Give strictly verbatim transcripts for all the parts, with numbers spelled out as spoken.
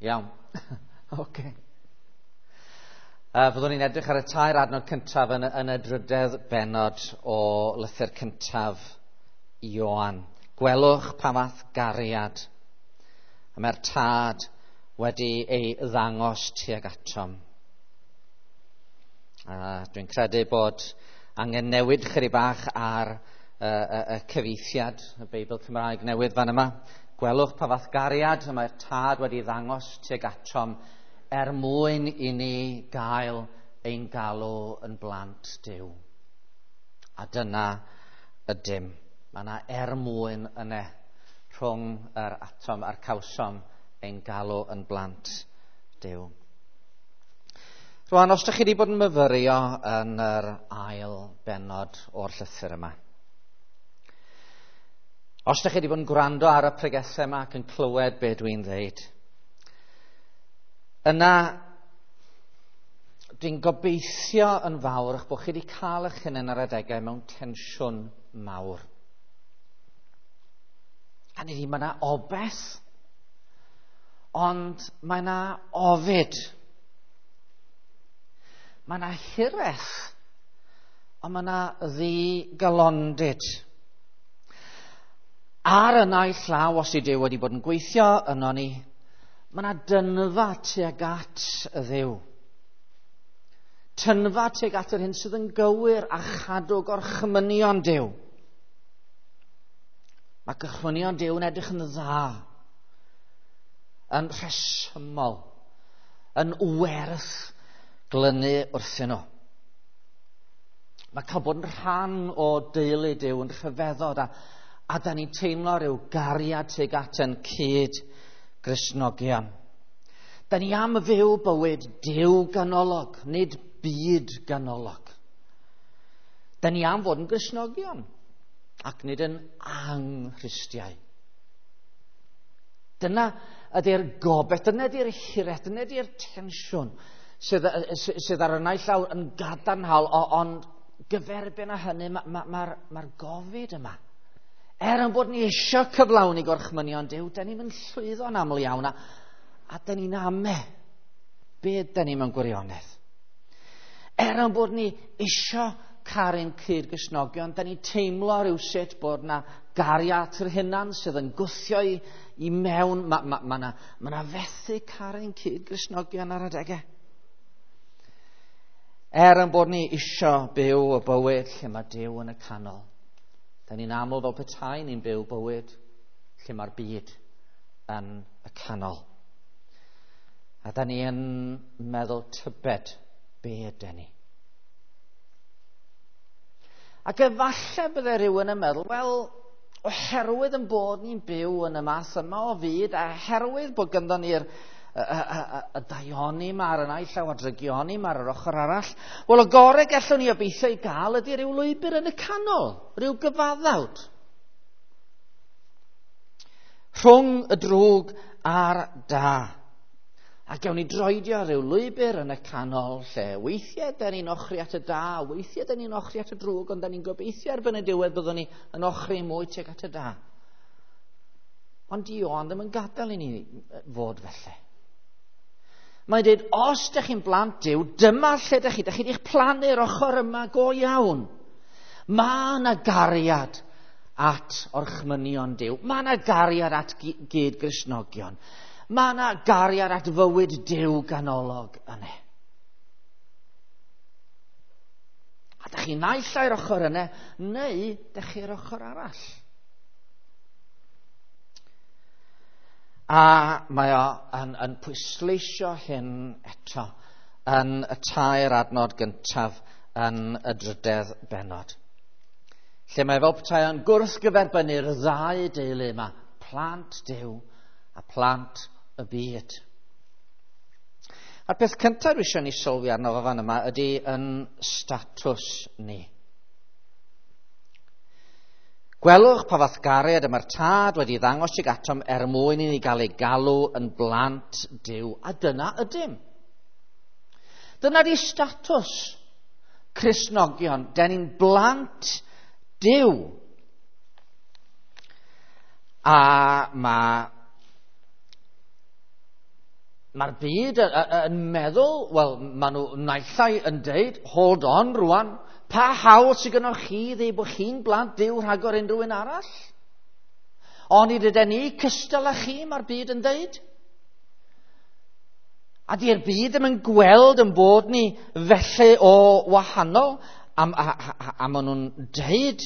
Iawn. Oce. Uh, fyddwn ni'n edrych ar y tair adnod cyntaf yn, yn y drydedd bennod o lythyr cyntaf Ioan. Gwelwch pa fath gariad y mae'r tad wedi ei ddangos tuag atom. Uh, dwi'n credu bod angen newid chydig bach ar uh, y, y cyfieithiad y Beibl Cymraeg newydd fan yma. Gwelwch pa fath gariad y mae'r tad wedi ddangos tuag atom er mwyn i ni gael ein galw yn blant Duw. A dyna ydym. Mae yna er mwyn yna rhwng yr atom a'r cawsom ein galw yn blant Duw. Rwan, os ydych chi wedi bod yn myfyrio yn yr ail bennod o'r llythyr yma, os ydych chi wedi bod yn gwrando ar y pregethau yma ac yn clywed be dwi'n ddeud, yna dwi'n gobeithio yn fawr eich bod chi wedi cael eich hunain ar adegau mewn tensiwn mawr. A ni mae yna obeth, ond mae yna ofid. Mae yna hiraeth, ond mae yna ddigalondid. Ar y naill llaw, os yw Duw wedi bod yn gweithio yno ni, mae yna dynfa tuag at y Dduw. Tynfa tuag at yr hyn sydd yn gywir a chadw gorchmynion Duw. Mae gorchmynion Duw yn edrych yn dda, yn rhesymol, yn werth glynu wrthyn nhw. Mae cael bod yn rhan o deulu Duw yn rhyfeddod a, a da ni'n teimlo rhyw gariad tuag at yn cyd Gristnogion. Da ni am fyw bywyd Duw ganolog, nid byd ganolog. Da ni am fod yn Gristnogion ac nid yn anghristiau. Dyna ydy'r gobaith, dyna ydy'r hiraeth, dyna ydy'r tensiwn sydd, sydd ar y naill llaw yn gadarnhaol, ond gyferbyn â hynny mae'r ma, ma, ma gofid yma. Er yn bod ni eisiau cyflawni gorchmynion Duw, da ni'n mynd llwyddo'n aml iawn, a, a da ni'n ame be da ni mewn gwirionedd. Er yn bod ni eisiau caru'n cyd-Gristnogion, da ni'n teimlo rhywsut bod na gariad yr hunan sydd yn gwthio i, i mewn. Mae ma, ma na, ma na fethu caru'n cyd-Gristnogion ar adegau. Er yn bod ni eisiau byw y bywyd lle mae Duw yn y canol, da ni'n aml fel petai ni'n byw bywyd lle mae'r byd yn y canol. A da ni yn meddwl tybed be ydyn ni. Ac efallai bydde rhywun yn meddwl, wel, oherwydd yn bod ni'n byw yn y math yma o fyd, a oherwydd bod ganddo ni'r y, y, y, y daioni yma ar y naill llaw a drygioni yma ar yr ochr arall, wel, y gorau gallwn ni obeithio i gael ydy rhyw lwybr yn y canol, rhyw gyfaddawd. Rhwng y drwg a'r da. A gawn ni droedio rhyw lwybr yn y canol lle weithiau da ni'n ochri at y da, weithiau da ni'n ochri at y drwg, ond da ni'n gobeithio erbyn y diwedd byddwn ni yn ochri mwy tuag at y da. Ond Ioan ddim yn gadael i ni fod felly. Mae'n dweud, os ydych chi'n blant Duw, dyma lle ydych chi, ydych chi wedi'ch plannu'r ochr yma go iawn. Mae yna gariad at orchmynion Duw. Mae yna gariad at gyd-Gristnogion. Mae yna gariad at fywyd Duw ganolog yna. A dych chi naill ai'r ochr yna, neu dych chi'r ochr arall. A mae o yn, yn pwysleisio hyn eto yn y tair adnod gyntaf yn y drydedd bennod. Lle mae fel petai yn gwrthgyferbynnu'r ddau deulu yma, plant Duw a plant y byd. A'r peth cyntaf dwi eisiau ni sylwi arno fo fan yma ydy yn statws ni. Gwelwch pa fath gariad y mae'r tad wedi ddangos tuag atom er mwyn i ni gael ei galw yn blant Duw. A dyna ydym. Dyna di statws Cristnogion. Den ni'n blant Duw. A mae Mae'r byd yn meddwl, wel, maen nhw naill ai yn deud, hold on rwan, pa hawl sydd gennych chi ddeud bod chi'n blant Duw rhagor unrhyw un arall? Ond nid ydyn ni cystal â chi, mae'r byd yn deud. A di'r byd ddim yn gweld yn bod ni felly o wahanol, a, a, a, a maen nhw'n deud,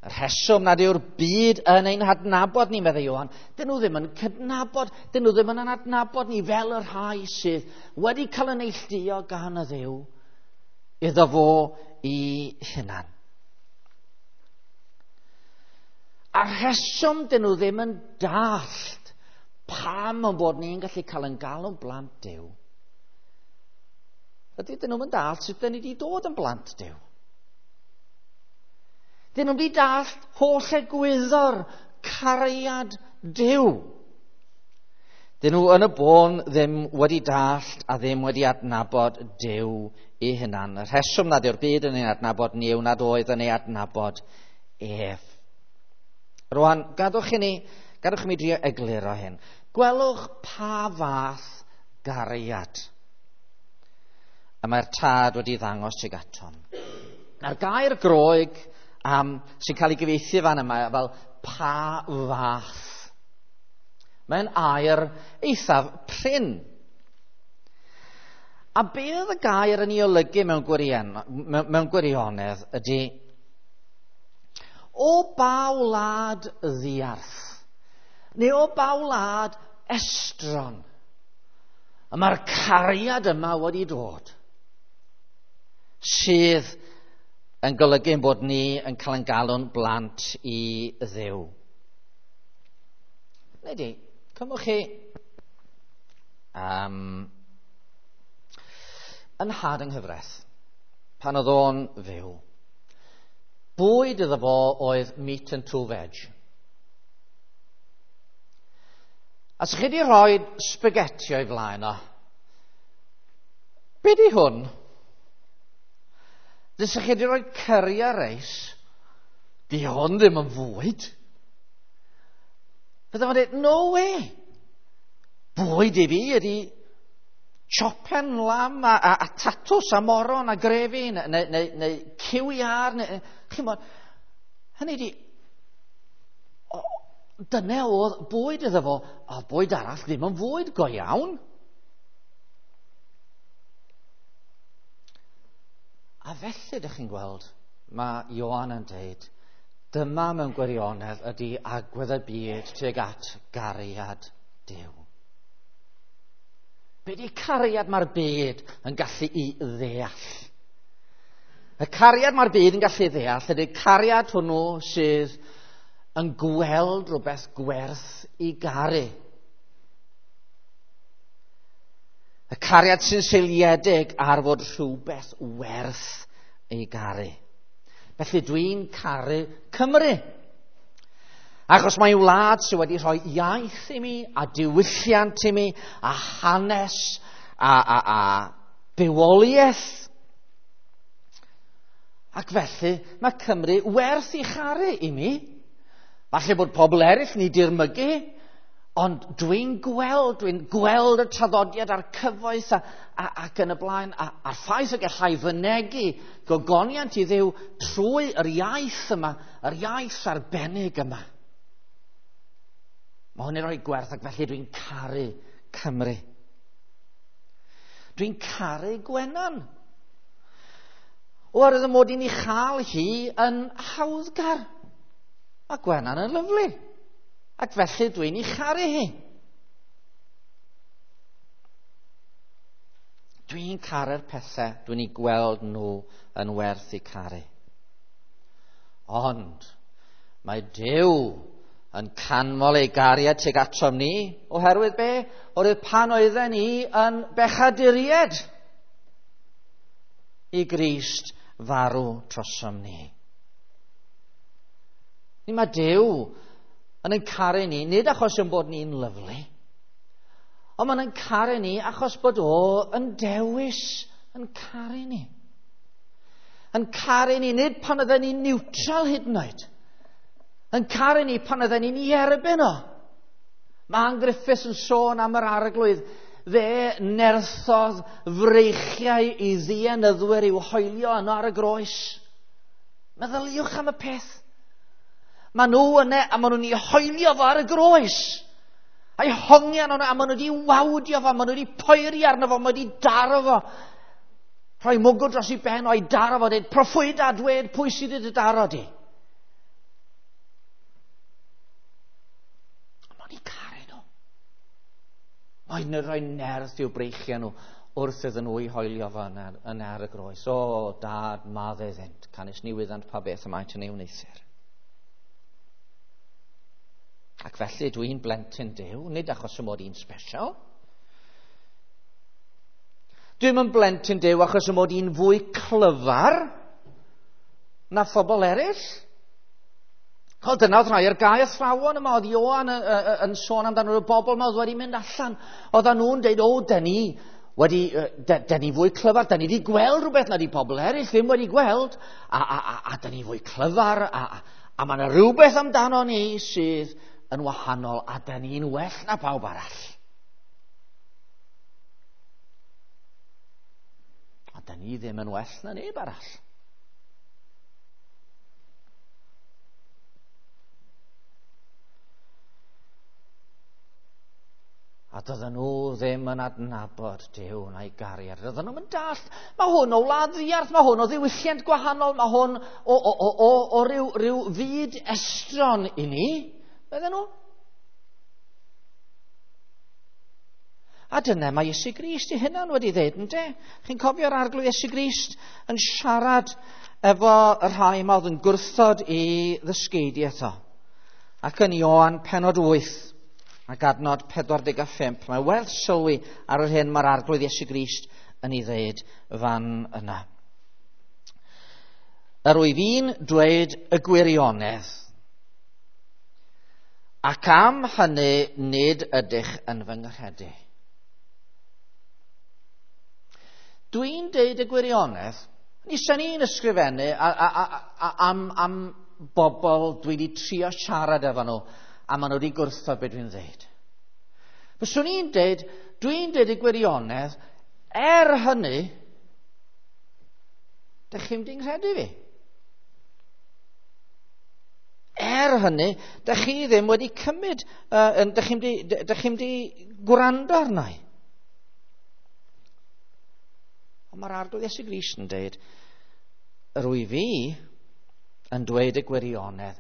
y rheswm nad yw'r byd yn ein hadnabod ni, meddai Ioan, dyn nhw ddim yn cydnabod, dyn nhw ddim yn adnabod ni fel y rhai sydd wedi cael yn neilltuo gan y Dduw iddo fo i hunan. A rheswm dyn nhw ddim yn dallt pam yn bod ni'n gallu cael yn galw'n blant Duw, ydy dyn nhw'n dallt sut dyn ni wedi dod yn blant Duw. Dyn nhw'n wedi dallt holl egwyddor cariad Duw. Dyn nhw yn y bôn ddim wedi dallt a ddim wedi adnabod Duw ei hunan. Y rheswm nad yw'r byd yn ei adnabod ni yw nad oedd yn ei adnabod ef. Rwan, gadwch i ni, gadwch i mi drio egluro hyn. Gwelwch pa fath gariad y mae'r tad wedi ddangos tuag atom. A'r gair Groeg um, sy'n cael ei gyfieithu fan yma fel pa fath. Mae'n air eithaf prin. A be oedd y gair yn ei olygu mewn, gwirion, mewn gwirionedd ydy o ba wlad ddiarth neu o ba wlad estron y mae'r cariad yma wedi dod sydd yn golygu bod ni yn cael ein galw'n blant i Dduw. Neu di, cymwch chi um, yn had yng nghyfraith, pan oedd o'n fyw, bwyd iddo fo oedd meat and two veg. A sa chi wedi rhoi spaghetti o'i flaen o, be di hwn? Dys chi wedi rhoi curry a reis, di hwn ddim yn fwyd. Fydda fo'n dweud, no way. Bwyd i fi ydi chopen lam a, a, a tatws a moron a grefi neu, neu, neu, neu cyw iâr. Neu, chi'mod, hynny di, o, dyna oedd bwyd iddo fo, a bwyd arall ddim yn fwyd go iawn. A felly, ydych chi'n gweld, mae Ioan yn deud, dyma mewn gwirionedd ydy agwedd y byd tuag at gariad Duw. Be di cariad mae'r byd yn gallu i ddeall? Y cariad mae'r byd yn gallu ddeall ydy cariad hwnnw sydd yn gweld rhywbeth gwerth i garu. Y cariad sy'n seiliedig ar fod rhywbeth werth ei garu. Felly dwi'n caru Cymru. Achos mae'n wlad sydd wedi rhoi iaith i mi, a diwylliant i mi, a hanes, a, a, a bywoliaeth. Ac felly mae Cymru werth ei charu i mi. Falle bod pobl eraill ni dirmygu, ond dwi'n gweld, dwi'n gweld y traddodiad a'r cyfoeth a, a, ac yn y blaen, a, a'r ffaith y gallai fynegi gogoniant i Dduw trwy yr iaith yma, yr iaith arbennig yma. Mae hwn yn rhoi gwerth ac felly dwi'n caru Cymru. Dwi'n caru Gwenan. Oherwydd y mod i'n ei chael hi yn hawddgar. Mae Gwenan yn lyfli. Ac felly dwi'n ei charu hi. Dwi'n caru'r pethau, dwi'n ei gweld nhw yn werth eu caru. Ond mae Duw yn canmol ei gariad tuag atom ni, oherwydd be? Oherwydd pan oedden ni yn bechaduriaid i Grist farw trosom ni. Ni mae Duw yn ein caru ni, nid achos ein bod ni'n lyfli, ond mae'n ein caru ni achos bod o yn dewis yn caru ni. Yn caru ni, nid pan oedden ni'n neutral hyd yn oed. Yn caru ni pan oedden ni'n ei erbyn o. Mae Ann Griffiths yn sôn am yr arglwydd. Fe nerthodd freichiau i ddienyddwyr i'w hoelio yno ar y groes. Meddyliwch am y peth. Mae nhw yna a maen nhw'n ei hoelio fo ar y groes. A'i hongian yno a maen nhw wedi wawdio fo, maen nhw wedi poeri arno fo, maen nhw wedi daro fo. Rhoi mwgwd dros ei ben o'i daro fo, dweud, proffwyda, dweud pwy sydd wedi daro di. Maen nhw'n caru nhw. Mae'n rhoi nerth i'w breichiau nhw wrth iddyn nhw i hoelio fo yn ar, yn ar y groes. O, dad, madde iddynt, canys ni wyddant pa beth y maent yn ei wneuthur. Ac felly dwi'n blentyn Duw, nid achos y mod i'n special. Dwi'm yn blentyn Duw achos y mod i'n fwy clyfar na phobl eraill. O, dyna oedd rhai o'r gau athrawon yma, oedd Ioan yn, yn, yn sôn amdano y bobl yma oedd wedi mynd allan. Oedden nhw'n deud, o, dyn ni wedi, de, dyn ni fwy clyfar, dyn ni wedi gweld rhywbeth na di pobl eraill ddim wedi gweld, a, a, a, a dyn ni fwy clyfar, a, a, a mae yna rhywbeth amdano ni sydd yn wahanol, a dyn ni'n well na pawb arall. A dyn ni ddim yn well na neb arall. A dydyn nhw ddim yn adnabod Duw na'i gariad. Dydyn nhw'n dallt. Mae hwn o wlad ddiarth, mae hwn o ddiwylliant gwahanol, mae hwn o, o, o, o, o ryw, ryw fyd estron i ni. Bydden nhw? A dyna mae Iesu Grist ei hunan wedi dweud, ynde? Chi'n cofio'r arglwydd Iesu Grist yn siarad efo y rhai yma oedd yn gwrthod i ddysgeidiaeth o. Ac yn Ioan pennod wyth ac adnod pedwar deg a phump, mae werth sylwi ar yr hyn mae'r arglwydd Iesu Grist yn ei ddeud fan yna. Yr wyf i'n dweud y gwirionedd, ac am hynny nid ydych yn fy nghredu. Dwi'n deud y gwirionedd, ni sy'n ni'n ysgrifennu a, a, a, a, am, am bobl dwi wedi trio siarad efo nhw, a maen nhw wedi gwrthod beth dwi'n dweud. Fyswn i'n deud, dwi'n deud y gwirionedd, er hynny, dych chi'n mynd i'n nghredu fi. Er hynny, dych chi ddim wedi cymryd, uh, dych chi'n mynd i gwrando arna i. Ond mae'r arglwydd Iesu Grist yn deud, yr wyf fi yn dweud y gwirionedd,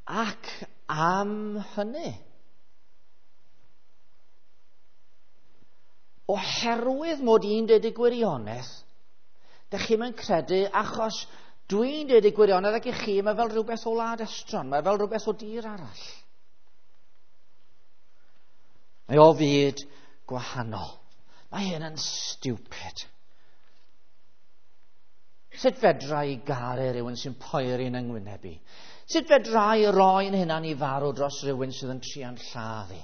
ac am hynny. Oherwydd mod i'n deud y gwirionedd, dych chi'm yn credu achos dwi'n deud y gwirionedd ac i chi, mae fel rhywbeth o wlad estron, mae fel rhywbeth o dir arall. Mae o fyd gwahanol. Mae hyn yn stupid. Sut fedra i garu rhywun sy'n poeri yn yng ngwyneb i? Sut fedra i roi'n hunan i farw dros rhywun sydd yn trian lladd i?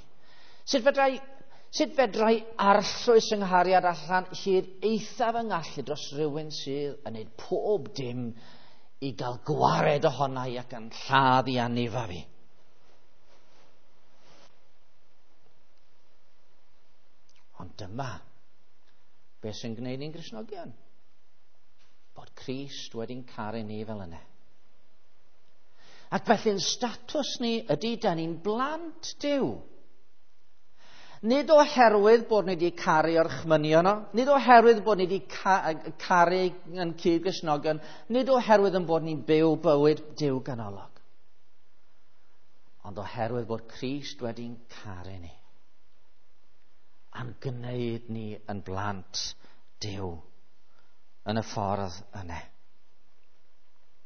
Sut fedra i, sut fedra i arllwys yng nghariad allan hyd eithaf yng ngallu dros rhywun sydd yn gwneud pob dim i gael gwared ohona i ac yn lladd i anifa fi? Ond dyma beth sy'n gwneud ni'n Gristnogion. Bod Crist wedi'n caru ni fel yna. Ac felly'n statws ni ydy da ni'n blant Duw. Nid oherwydd bod ni wedi caru orchmynion o, nid oherwydd bod ni wedi ca- caru yn cyd-Gristnogion, nid oherwydd yn bod ni'n byw bywyd Duw ganolog. Ond oherwydd bod Crist wedi'n caru ni. A'n gwneud ni yn blant Duw yn y ffordd yna.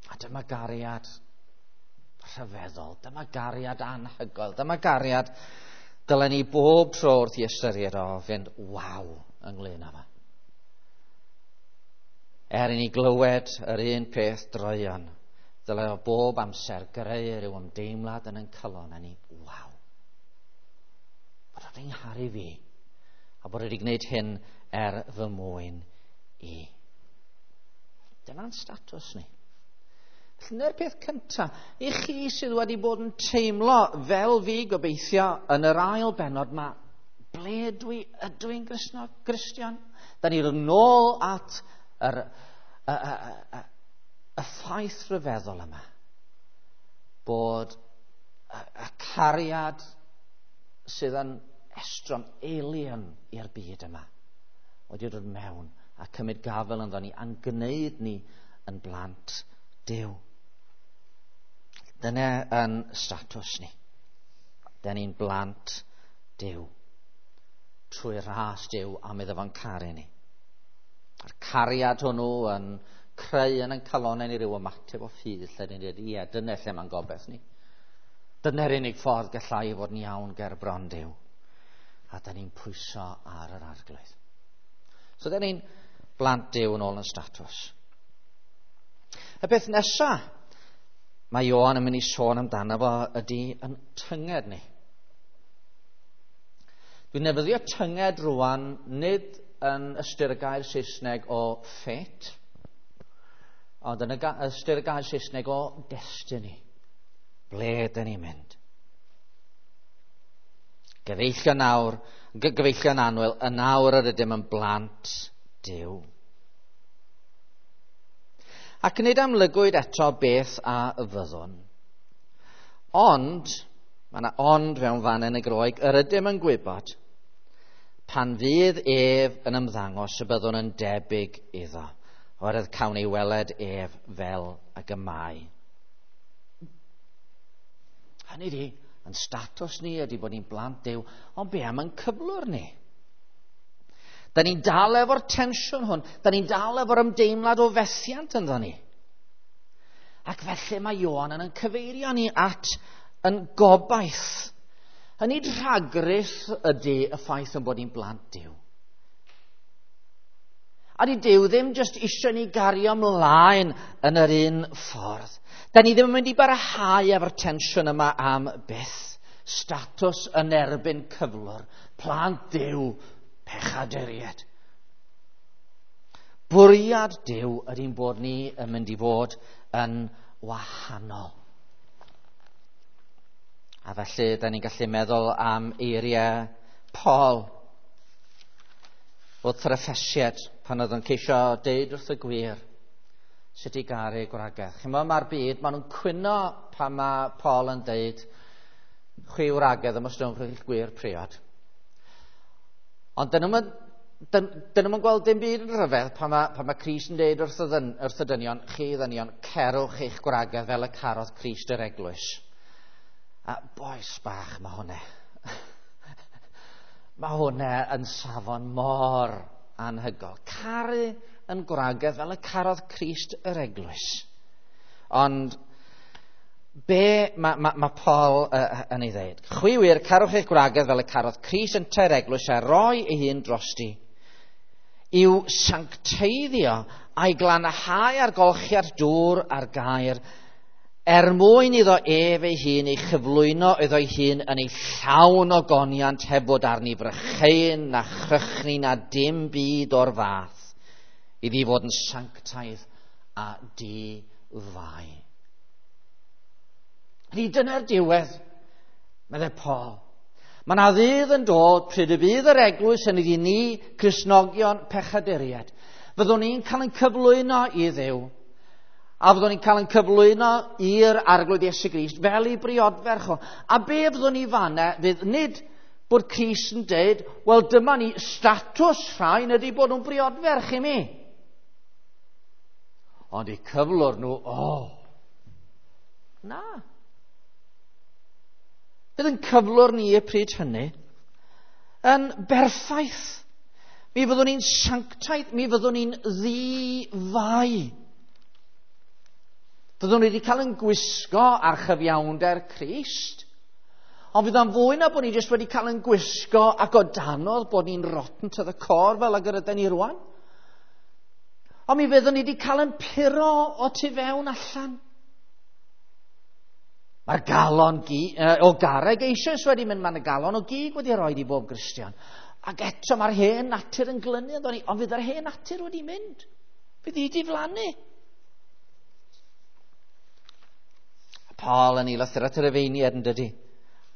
A dyma gariad rhyfeddol, dyma gariad anhygoel, dyma gariad dylen ni bob tro wrth i ystyried o fynd waw ynglyn â fo. Er i ni glywed yr un peth droeon, dyle o bob amser greu rhyw ymdeimlad yn ein calon a ni waw. Bod o wedi ngharu fi a bod wedi gwneud hyn er fy mwyn i. Dyna'n statws ni. Dyna'r peth cyntaf. I chi sydd wedi bod yn teimlo fel fi gobeithio yn yr ail bennod yma, ble dwi, ydw i'n Gristion? Da ni'n nôl at yr, y, y, y, y ffaith rhyfeddol yma bod y, y cariad sydd yn estron, alien i'r byd yma wedi dod mewn a cymryd gafel ynddo ni a'n gwneud ni yn blant Duw. Dyna yn statws ni. Da ni'n blant Duw. Trwy ras Duw am iddo fo'n caru ni. A'r cariad hwnnw yn creu yn ein calonnau ni ryw ymateb o ffydd lle ni'n dweud, ie, dyna lle mae'n gobeith ni. Dyna'r unig ffordd gallai fod yn iawn ger bron Duw. A da ni'n pwyso ar yr Arglwydd. So da ni'n blant Duw yn ôl yn statws. Y peth nesaf mae Ioan yn mynd i sôn amdano fo ydy yn tynged ni. Dwi'n nefyddio tynged rwan nid yn ystyr y gair Saesneg o fate, ond yn ystyr y gair Saesneg o destiny. Ble dyn ni'n mynd? Gyfeillion nawr, gyfeillion annwyl, y nawr yr ydym yn blant Duw. Ac nid amlygwyd eto beth a fyddwn. Ond, mae yna ond mewn fan yn y Groeg, yr ydym yn gwybod pan fydd ef yn ymddangos y byddwn yn debyg iddo, oherwydd cawn ei weled ef fel ag y mae. Hynny ydi, yn statws ni ydy bod ni'n blant Duw, ond be am yn cyflwr ni? Da ni'n dal efo'r tensiwn hwn, da ni'n dal efo'r ymdeimlad o fethiant ynddo ni. Ac felly mae Ioan yn cyfeirio ni at yn gobaith. Hynny rhagrith ydy y ffaith yn bod ni'n blant Duw. A di Duw ddim jyst eisiau ni gario ymlaen yn yr un ffordd. Da ni ddim yn mynd i barhau efo'r tensiwn yma am byth. Statws yn erbyn cyflwr. Plant Duw, pechaduriaid. Bwriad Duw ydy'n bod ni yn mynd i fod yn wahanol. A felly, da ni'n gallu meddwl am eiriau Paul wrth yr Effesiaid pan oedd yn ceisio deud wrth y gwir sut i garu gwragedd. Chi'n meddwl, mae'r byd, maen nhw'n cwyno pan mae Paul yn deud chwi wragedd ymostwngwch i'ch gwir priod. Ond dyn nhw'n dyn nhw'n gweld dim byd yn rhyfedd pan mae, pan mae Crist yn deud wrth y, ddyn, wrth y dynion, chi ddynion, cerwch eich gwragedd fel y carodd Crist yr eglwys. A boes bach mae hwnna. Mae hwnna yn safon mor anhygol. Caru yn gwragedd fel y carodd Crist yr eglwys. Ond be mae, ma, ma Paul uh, yn ei ddeud? Chwi wir, carwch eich gwragedd fel y carodd Crist yntau'r eglwys a roi ei hun drosti i'w sancteiddio a'i glanhau ar golchiad dŵr a'r gair, er mwyn iddo ef ei hun ei chyflwyno iddo'i hun yn ei llawn o goniant heb fod arni frychein na chrychni na dim byd o'r fath, iddi fod yn sanctaidd a di-fai. Ydy dyna'r diwedd, meddai Paul. Mae yna ddydd yn dod pryd y bydd yr eglwys yn iddi ni, Cristnogion pechaduriaid. Fyddwn ni'n cael ein cyflwyno i Dduw, a fyddwn ni'n cael ein cyflwyno i'r Arglwydd Iesu Grist fel ei briodferch o. A be fyddwn ni fanna fydd nid bod Crist yn deud, wel dyma ni statws rhain ydy bod nhw'n briodferch i mi. Ond eu cyflwr nhw, o, oh, na. Bydd yn cyflwr ni y pryd hynny yn berffaith. Mi fyddwn ni'n sanctaidd, mi fyddwn ni'n ddi-fai. Fyddwn ni wedi cael yn gwisgo ar chyfiawnder Crist. Ond fydd o'n fwy na bod ni jyst wedi cael yn gwisgo ac o danodd bod ni'n rotten to the core fel ag yr ydyn ni rwan. Ond mi fyddwn ni wedi cael yn puro o tu fewn allan. Mae'r galon gi, o garreg eisoes wedi mynd, mae'n y galon o gig wedi rhoi i bob Gristion. Ac eto mae'r hen natur yn glynu ynddo ni, ond fydd yr hen natur wedi mynd. Fydd hi diflannu. Paul yn ei lythyr at y Rhufeiniaid yn dydy.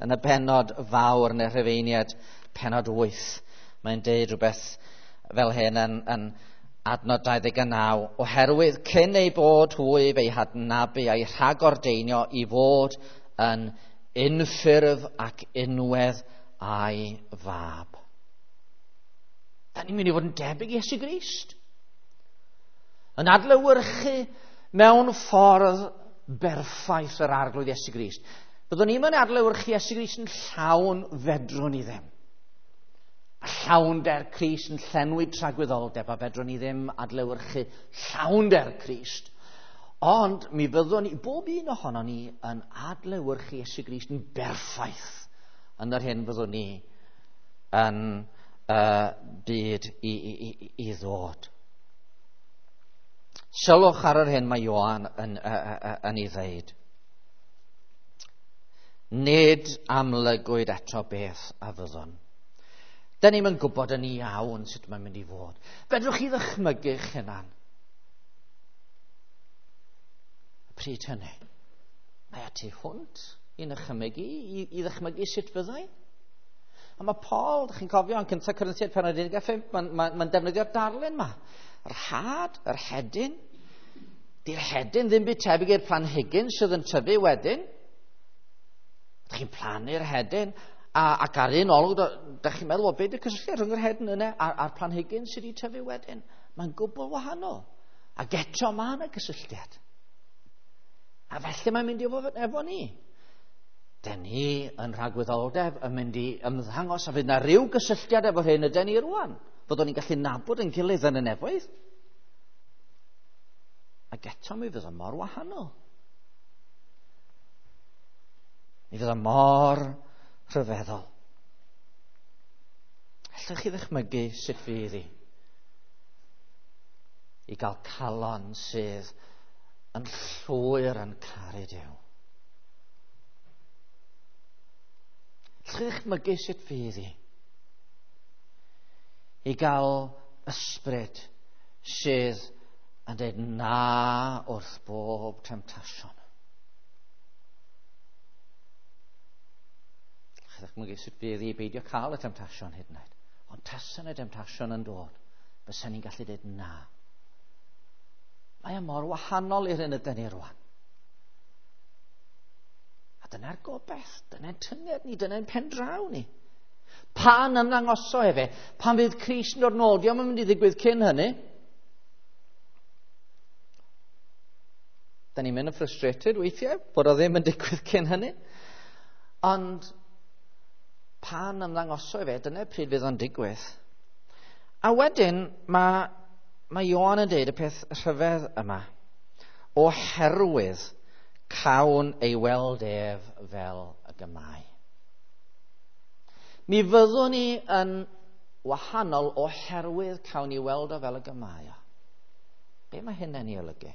Yn y bennod fawr yn y Rhufeiniaid, pennod wyth, mae'n deud rhywbeth fel hyn yn, yn adnod dau ddeg naw. Oherwydd cyn ei bod hwy fe'i hadnabu a'i rhagordeinio i fod yn unffurf ac unwedd a'i fab. Da ni'n mynd i fod yn debyg i Iesu Grist. Yn adlewyrchu mewn ffordd berffaith yr Arglwydd Iesu Grist. Byddwn ni'n mynd adlewyrchu Iesu Grist yn llawn, fedrwn ni ddim. A llawnder Crist yn llenwi tragwyddoldeb, a fedrwn ni ddim adlewyrchu llawnder Crist. Ond mi fyddwn ni, bob un ohonon ni, yn adlewyrchu Iesu Grist yn berffaith yn yr hyn fyddwn ni yn uh, byd i, i, i, i ddod. Sylwch ar yr hyn mae Ioan yn, yn, yn, yn ei ddeud. Nid amlygwyd eto beth a fyddwn. Da ni'm yn gwybod yn iawn sut mae'n mynd i fod. Fedrwch chi ddychmygu'ch hunan? Y pryd hynny, mae a tu hwnt i ddychmygu, i, i ddychmygu sut fyddai. A mae Paul, dych chi'n cofio, yn cyntaf Corinthiaid pennod un deg pump, mae'n ma, ma defnyddio'r darlun yma. Yr had, yr hedyn. Di'r hedyn ddim byd tebyg i'r planhigyn sydd yn tyfu wedyn. Dych chi'n plannu'r hedyn, a, ac ar un olwg, dych chi'n meddwl, o beth yw'r cysylltiad rhwng yr hedyn yna a'r, a'r planhigyn sydd wedi tyfu wedyn? Mae'n gwbl wahanol. Ac eto mae yna gysylltiad. A felly mae'n mynd i fod efo ni. Den ni yn rhagwyddoldeb yn mynd i ymddangos a fydd yna rhyw gysylltiad efo'r hyn yden ni rwan. Fyddwn ni'n gallu nabod yn gilydd yn y nefoedd. Ac eto mi fydd o mor wahanol. Mi fydd o mor rhyfeddol. Allwch chi ddychmygu sut fydd hi i gael calon sydd yn llwyr yn caru Duw? Allwch chi ddychmygu sut fydd hi i gael ysbryd sydd yn dweud na wrth bob temtasiwn? Allwch chi ddychmygu sut fydd hi i beidio cael y temtasiwn hyd yn oed. Ond tasen y temtasiwn yn dod, fysen ni'n gallu dweud na. Mae e mor wahanol i'r hyn ydyn ni rwan. A dyna'r gobaith, dyna'n tynged ni, dyna'n pendraw ni. Pan ymddangoso efe, pan fydd Crist yn dod nôl, dio'm yn mynd i ddigwydd cyn hynny. Da ni'n mynd yn frustrated weithiau, bod o ddim yn digwydd cyn hynny. Ond pan ymddangoso efe, dyna pryd fydd o'n digwydd. A wedyn, mae, mae Ioan yn deud y peth rhyfedd yma. Oherwydd cawn ei weld ef fel y gymau. Mi fyddwn ni yn wahanol oherwydd cawn ni weld o fel y gymau. Be mae hynny'n ei olygu?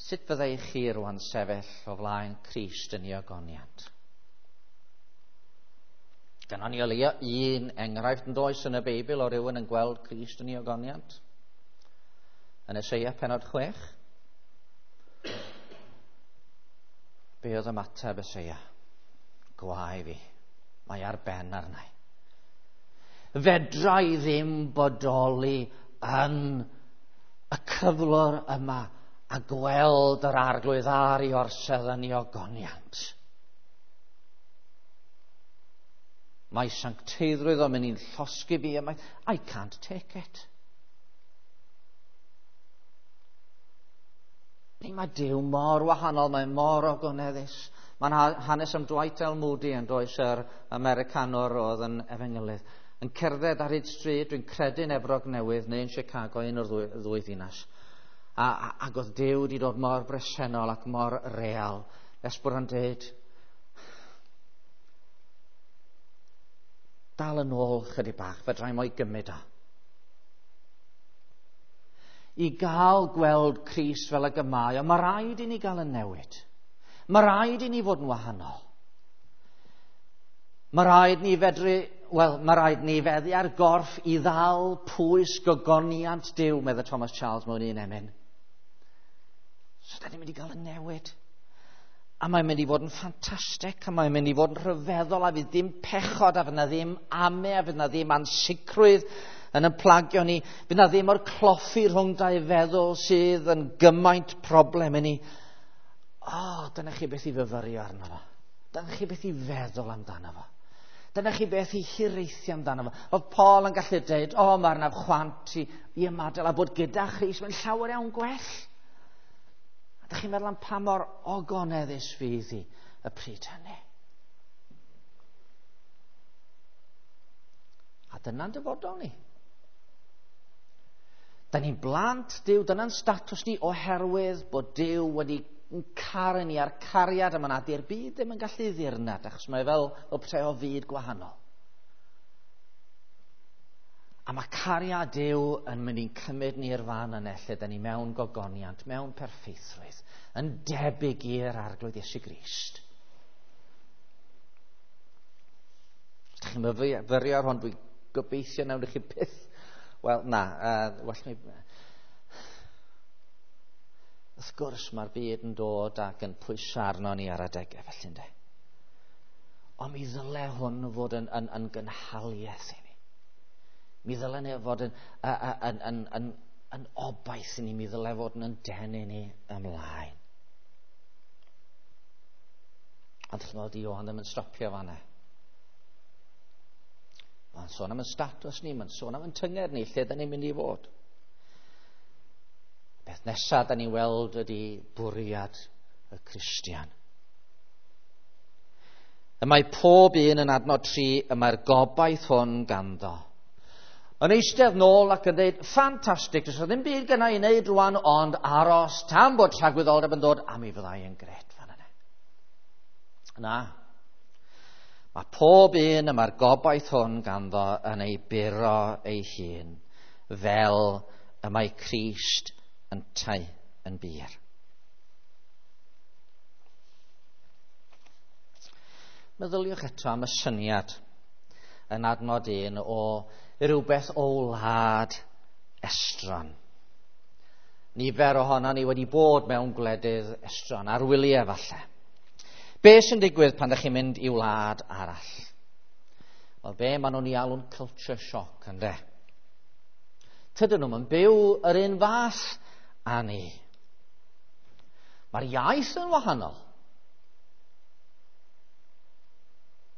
Sut fyddai chi rwan sefyll o flaen Crist yn ei ogoniant? Gynnon ni o leia un enghraifft yn does yn y Beibl o rywun yn gweld Crist yn ei ogoniant. Yn Eseia pennod chwech. Be oedd ymateb Eseia? Gwae fi, mae ar ben arna i. Fedra i ddim bodoli yn y cyflwr yma a gweld yr Arglwydd ar ei orsedd yn ei ogoniant. Mae sancteiddrwydd o'n mynd i'n llosgi fi yma. I can't take it. Ni mae Duw mor wahanol, mae mor ogoneddus. Mae'n hanes am Dwight L. Moody yn does, yr Americanwr oedd yn efengylydd, yn cerdded ar hyd stryd, dwi'n credu yn Efrog Newydd neu yn Chicago, un o'r ddwy, ddwy ddinas. A, a, ac oedd Duw wedi dod mor bresennol ac mor real, nes bod o'n dweud, dal yn ôl chydig bach, fedra i mo'i gymryd o. I gael gweld Crist fel y gymau, ond mae rhaid i ni gael y newid. Mae rhaid i ni fod yn wahanol. Mae rhaid ni fedru, wel, mae rhaid ni feddu ar gorff i ddal pwys gogoniant Duw, medde Thomas Charles mewn un emyn. So da ni'n mynd i gael y newid. A mae'n mynd i fod yn ffantastig, a mae'n mynd i fod yn rhyfeddol, a fydd ddim pechod, a fydd na ddim ame, a fydd na ddim ansicrwydd yn yn plagio ni. Fydd na ddim o'r cloffi rhwng dau feddwl sydd yn gymaint problem i ni. O, oh, dyna chi beth i fyfyrio arno fo. Dyna chi beth i feddwl amdano fo. Dyna chi beth i hiraethu amdano fo. Oedd Paul yn gallu dweud, o, oh, mae'r naf chwant i, i ymadael a bod gyda Christ, mae'n llawer iawn gwell. A dych chi'n meddwl am pa mor ogoneddus fydd hi y pryd hynny. A dyna'n dyfodol ni. Da ni'n blant Duw, dyna'n statws ni oherwydd bod Duw wedi caru ni a'r cariad yma na di'r byd ddim yn gallu ddirnad, achos mae fel, fel petai o fyd gwahanol. A mae cariad Duw yn mynd i'n cymryd ni i'r fan yna lle da ni mewn gogoniant, mewn perffeithrwydd, yn debyg i'r Arglwydd Iesu Grist. Os ydych chi'n myfyrio ar hwn, dwi'n gobeithio nawn chi byth. Wel, na, uh, well mi... Wrth gwrs mae'r byd yn dod ac yn pwyso arno ni ar adegau felly, ynddo. Ond mi ddyle hwn fod yn, yn, yn gynhaliaeth i ni. Mi ddyle ni fod yn, yn, yn, yn, yn obaith i ni, mi ddyle fod yn denu ni ymlaen. Ond chi'n gweld, Ioan ddim yn stopio fanna. Mae'n sôn am yn statws ni, mae'n sôn am yn tynged ni, lle da ni'n mynd i fod. Beth nesaf da ni'n weld ydy bwriad y Cristion. Y mae pob un yn adnod tri, y mae'r gobaith hwn ganddo. Yn eistedd nôl ac yn dweud, ffantastig, does ddim byd gynna i wneud rwan, ond aros tan bod tragwyddoldeb yn dod, a mi fyddai yn gret fan yna. Na. Mae pob un y mae'r gobaith hwn ganddo yn ei buro ei hun, fel y mae Crist yntau yn bur. Meddyliwch eto am y syniad yn adnod un o rhywbeth o wlad estron. Nifer ohono ni wedi bod mewn gwledydd estron, ar wyliau falle. Be sy'n digwydd pan ydych chi'n mynd i wlad arall? Wel, be maen nhw'n ei alw'n culture shock, ynde? Tydyn nhw'n byw yr un fath â ni. Mae'r iaith yn wahanol.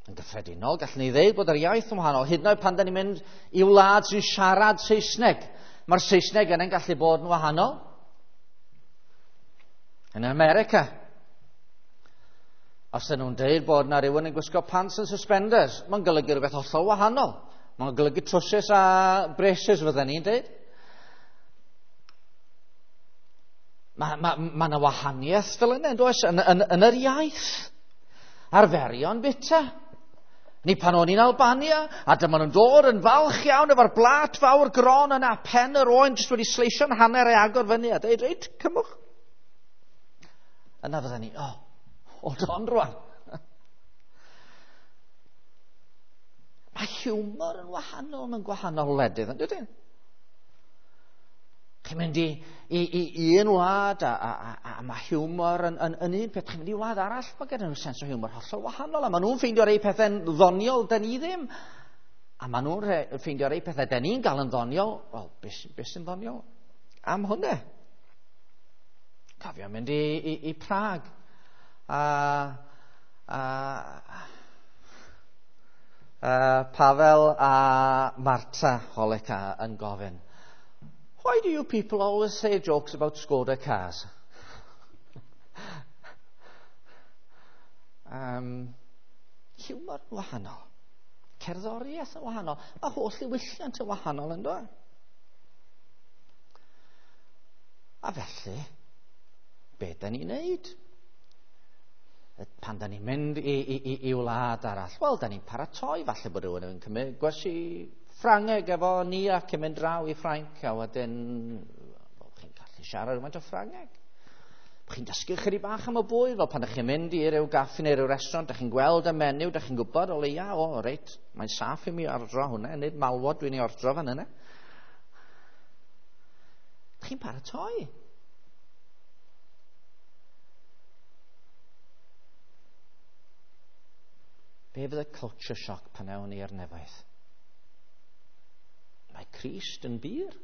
Yn gyffredinol, gallwn ni ddeud bod yr iaith yn wahanol. Hyd yn oed pan da ni'n mynd i wlad sy'n siarad Saesneg, mae'r Saesneg yna'n gallu bod yn wahanol. Yn America, os ydyn nhw'n deud bod yna rhywun yn gwisgo pants and suspenders, mae'n golygu rhywbeth hollol wahanol. Mae'n golygu trowsus a braces, fydden ni'n deud. Mae ma, ma yna wahaniaeth fel yna, yn does, yn, yn, yn yr iaith. Arferion bita. Ni pan o'n i'n Albania, a dyma nhw'n dod yn falch iawn efo'r blat fawr gron yna, pen yr oen jyst wedi sleisio'n hanner ei agor fyny, a deud, reit, cymwch. Yna fydden ni, oh, hold on rwan. Mae hiwmor yn wahanol mewn gwahanol wledydd, yn dydyn? Chi'n mynd i, i, i un wlad a, a, a, a mae hiwmor yn, yn, yn un peth. Chi'n mynd i wlad arall, mae gen nhw sens o hiwmor hollol wahanol. A maen nhw'n ffeindio rei pethau'n ddoniol, da ni ddim. A maen nhw'n ffeindio rei pethau da ni'n gael yn ddoniol. Wel, beth, beth sy'n ddoniol am hwnna? Cofio mynd i, i, i Prag. A, a, a Pavel a Marta Holeka yn gofyn, why do you people always say jokes about Skoda cars? um, hiwmor yn wahanol. Cerddoriaeth yn wahanol. Mae holl ddiwylliant yn wahanol, yn dod. A felly, be da ni'n neud? Pan da ni'n mynd i, i, i, i wlad arall, wel, da ni'n paratoi, falle bod rhywun yn cymryd gwersi Ffrangeg efo ni ac yn mynd draw i Ffrainc, a wedyn, wel, chi'n gallu siarad rhywfaint o Ffrangeg. Chi'n dysgu chydig bach am y bwyd, fel pan ydych chi'n mynd i ryw gaffi neu ryw restaurant, ydych chi'n gweld y menyw, ydych chi'n gwybod o leia, o, reit, mae'n saff i mi ordro hwnna, nid malwod dwi'n ei ordro fan yna. Ydych chi'n paratoi. Be fydd y culture shock pan ewn ni i'r nefoedd? Mae Crist yn bur.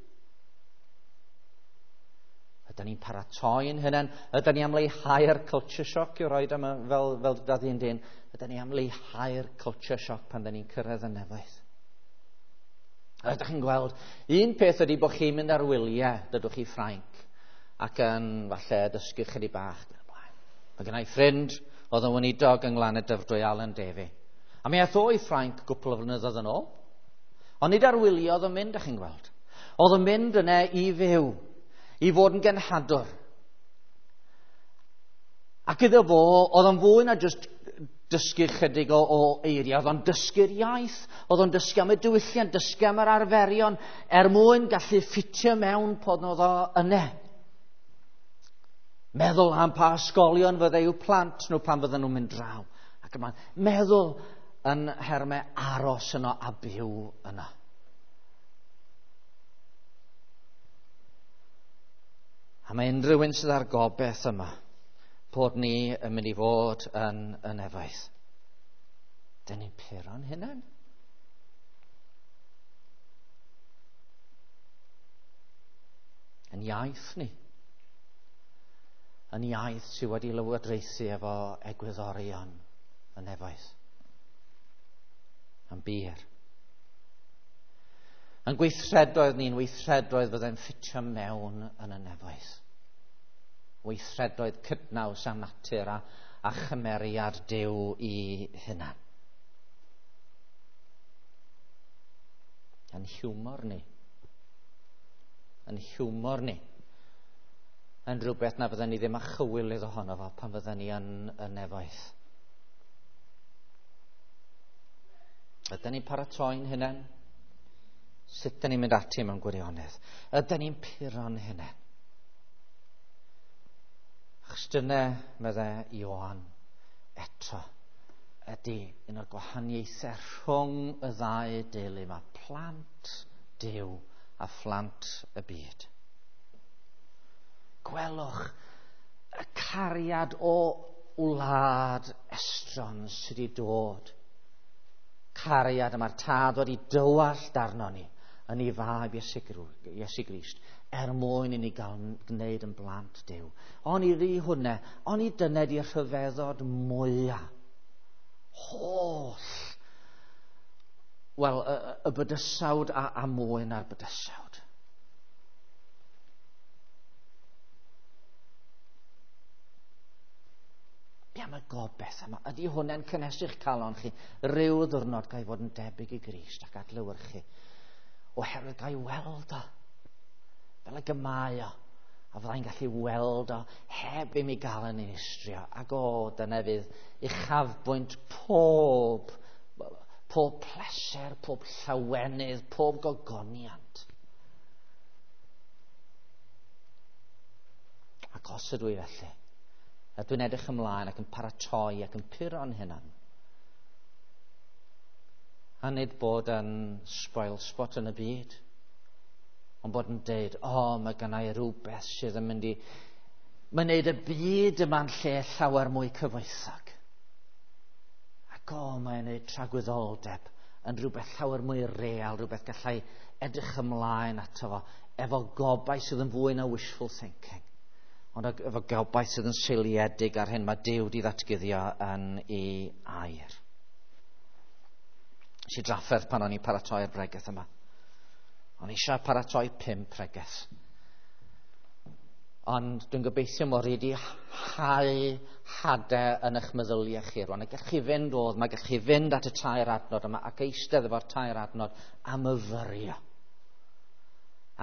Ydyn ni'n paratoi yn hynny? Ydyn ni am leihau'r culture shock i'w roed am fel, fel dad un dyn? Ydyn ni am leihau'r culture shock pan dyn ni'n cyrraedd y nefoedd? Ydych chi'n gweld, un peth ydy bod chi'n mynd ar wyliau, dydwch chi Ffrainc, ac yn falle dysgu chydig bach. Mae gen i ffrind oedd yn weinidog yng Nglan y Dyfrdwy, Alan Davey. A mi aeth o i Ffrainc gwpl o flynyddoedd yn ôl. Ond nid ar wyliau oedd yn mynd, ydych chi'n gweld. Oedd yn mynd yna i fyw, i fod yn genhadwr. Ac iddo fo, oedd o'n fwy na jyst dysgu chydig o, o eiriau, oedd o'n dysgu'r iaith, oedd o'n dysgu am y diwylliant, dysgu am yr arferion, er mwyn gallu ffitio mewn pan oedd o yna. Meddwl am pa ysgolion fyddai i'w plant nhw pan fydden nhw'n mynd draw. Ac yma, meddwl yn hermau aros yno a byw yno. A mae unrhyw un sydd ar gobeith yma bod ni yn mynd i fod yn y nefoedd. Dyn ni'n puro'n hunain. Yn iaith ni. Yn iaith sydd wedi lywodraethu efo egwyddorion y nefoedd. Yn bur. Yn gweithredoedd ni'n weithredoedd fyddai'n ffitio mewn yn y nefoedd. Weithredoedd cydnaws a natur a, a chymeriad Duw i hunan. Yn hiwmor ni. Yn hiwmor ni. Yn rhywbeth na fydden ni ddim â chywilydd ohono fo pan fydden ni yn y nefoedd. Ydyn ni'n paratoi'n hunain? Sut ydyn ni'n mynd ati mewn gwirionedd? Ydyn ni'n puro'n hunain? Achos dyna, meddai Ioan, eto, ydy un o'r gwahaniaethau rhwng y ddau deulu yma, plant Duw a phlant y byd. Gwelwch y cariad o wlad estron sydd wedi dod. Cariad yma'r tad wedi dywallt arno ni yn ei fab Iesu Grist er mwyn i ni gael gwneud yn blant Duw. Ond i ri hwnna, ond i dyna di'r rhyfeddod mwyaf. Holl, wel, y, y bydysawd a, a mwy na'r bydysawd. Be am y gobeith yma? Ydy hwnna'n cynhesu'ch calon chi? Rhyw ddiwrnod gael fod yn debyg i Grist ac adlewyrchu. Oherwydd gael weld o, fel y gymau o, a fyddai'n gallu weld o heb i mi gael yn dinistrio. Ac o, dyna fydd uchafbwynt pob, pob pleser, pob llawenydd, pob gogoniant. Ac os ydw i felly, a dwi'n edrych ymlaen ac yn paratoi ac yn puro'n hunan. A nid bod yn spoil spot yn y byd, ond bod yn deud, o, oh, mae gynna i rhywbeth sydd yn mynd i... Mae'n neud y byd yma'n lle llawer mwy cyfoethog. Ac o, oh, mae'n neud tragwyddoldeb yn rhywbeth llawer mwy real, rhywbeth gallai edrych ymlaen ato fo, efo gobaith sydd yn fwy na wishful thinking. Ond efo gobaith sydd yn seiliedig ar hyn mae Duw wedi ddatguddio yn ei air. Nes i drafferth pan o'n i'n paratoi'r bregeth yma. O'n i eisiau paratoi pum pregeth. Ond dwi'n gobeithio mod i wedi hau hadau yn eich meddyliau chi rwan. A gallwch chi fynd oedd, mae gallwch chi fynd at y tair adnod yma ac eistedd efo'r tair adnod a myfyrio.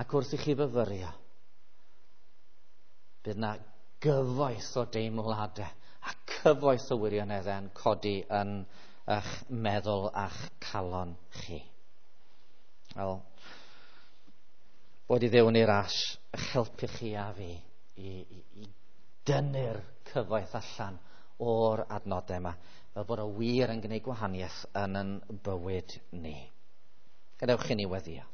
Ac wrth i chi fyfyrio, bydd yna gyfoeth o deimladau a cyfoeth o wirioneddau yn codi yn eich meddwl a'ch calon chi. Wel, bod i Dduw yn ei ras eich helpu chi a fi i, i, i dynnu'r cyfoeth allan o'r adnodau yma, fel bod o wir yn gwneud gwahaniaeth yn yn bywyd ni. Gadewch i ni weddïo.